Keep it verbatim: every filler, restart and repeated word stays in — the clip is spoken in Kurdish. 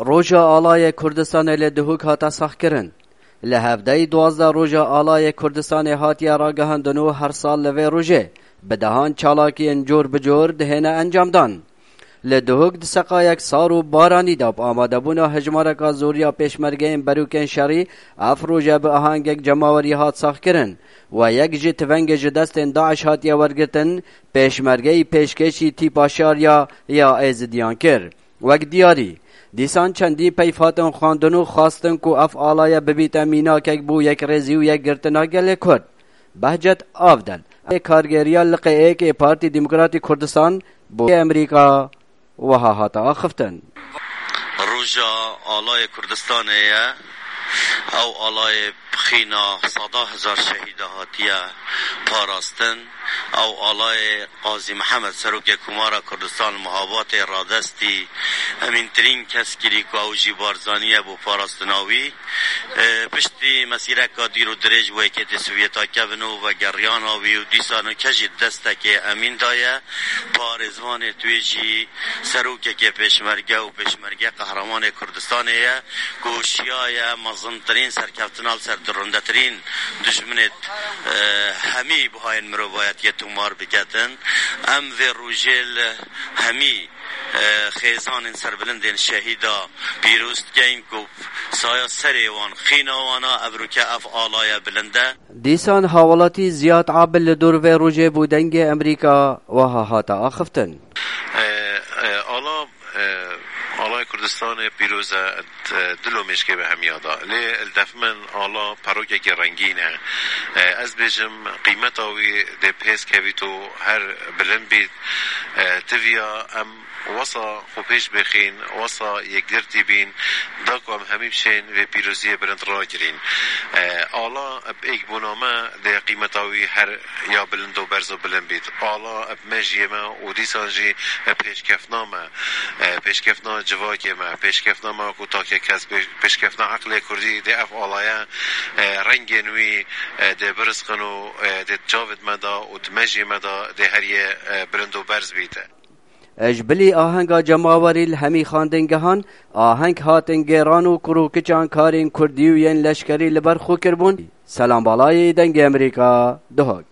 Roja Alayê Kurdistanê li Duhok hate saxkirin. Li hevdeyê duwazdeh Roja Alayê Kurdistanê hatiye ragihandin û her sal li vê rojê bi dehan çalakiyên cor bi cor dihêne encamdan. Li Duhok di seqayek sar û baranî de bi amadebûna hejmareka zor ya pêşmergeyên berûkên şerî, ev roje bi ahengek cemawerî hat saxkirin. We yek jî tivengê ji destên DAIŞ hatiye wergirtin, pêşmergeyî pêşkêşî tîpa şariya ya Êzidiyan kir. Wek diyarî, dîsan çendî peyv hatin xwendin û xwestin ku ev alaye bibîte mînakek bo yekrêzî û yekgirtina gelê Kurd. Behcet Avdel, kargêriya liqê êk ê Partî Demokratî Kurdistan bo Amerîka, wiha hate axiftin. Roja Alayê Kurdistanê ye. Ew alayê bi xîna seda hezar şehîda hatiye parastin. Ew alayê Qazî Mihemed, serokê Komara Kurdistan, li muhabatê radestî, emîntirîn kes kirî ku ew jî Barzanî ye bo parastina wî. E, piştî mesîreka dîr û dirêj bo Yekêtî Sovyeta kevin û vegeriyana wî û dîsa nûke jî destekê emîn daye. Parêzvanê tu yê jî serokekê pêşmerge û pêşmerge qehremanê Kurdistanê ye ku şiyaye mezintirîn serkeftina li ser dirundetirîn dijminê, e, hemî buhayên mirovayetiyê tomar biketin. Em vê rojê li hemî, e, xêzanên serbilindên şehîda pîroz dikeyin ku saya serê wan, xîna wan a, evroke ev alaya bilind e. Dîsan hawlatî Ziyad Abil li dor vê rojê bo Dengê Amerîka wiha hate axiftin. E, e, ala, e, Alay Kurdistanê pîroz e, e, dil û mêşkê bi hemiya da. Lê li def min ala perokekî rengîn e. E, ez bêjim qîmeta wî dê pêz kevît û her bilind bît. E, tiviya em wesa xwe pêş bixîn, wesa yekgirtî bîn, da ku em hemî bişên vê pîroziyê bilind ragirîn. E, ala bi êkbûna me dê qîmeta wî her ya bilind û berz û bilind bît. Ala bi mejiyê me û dîsan jî bi pêşkeftina me, e, pêşkeftina civakê me, pêşkeftina me ku takekes, pêş-, pêşkeftina eqlê Kurdî dê ev alaye, e, rengên wî, e, dê birizqin û, e, dê çavêt me de û di mejiyê me de dê her yê, e, bilind û berz bîte. Ji bilî ahenga cemawerî li hemî xandingehan, aheng hatin gêran û kur û kiçan karên kurdî û yên leşkerî li ber xwe kiribûn. Selam Balayî, Dengê Amerîka, Duhok.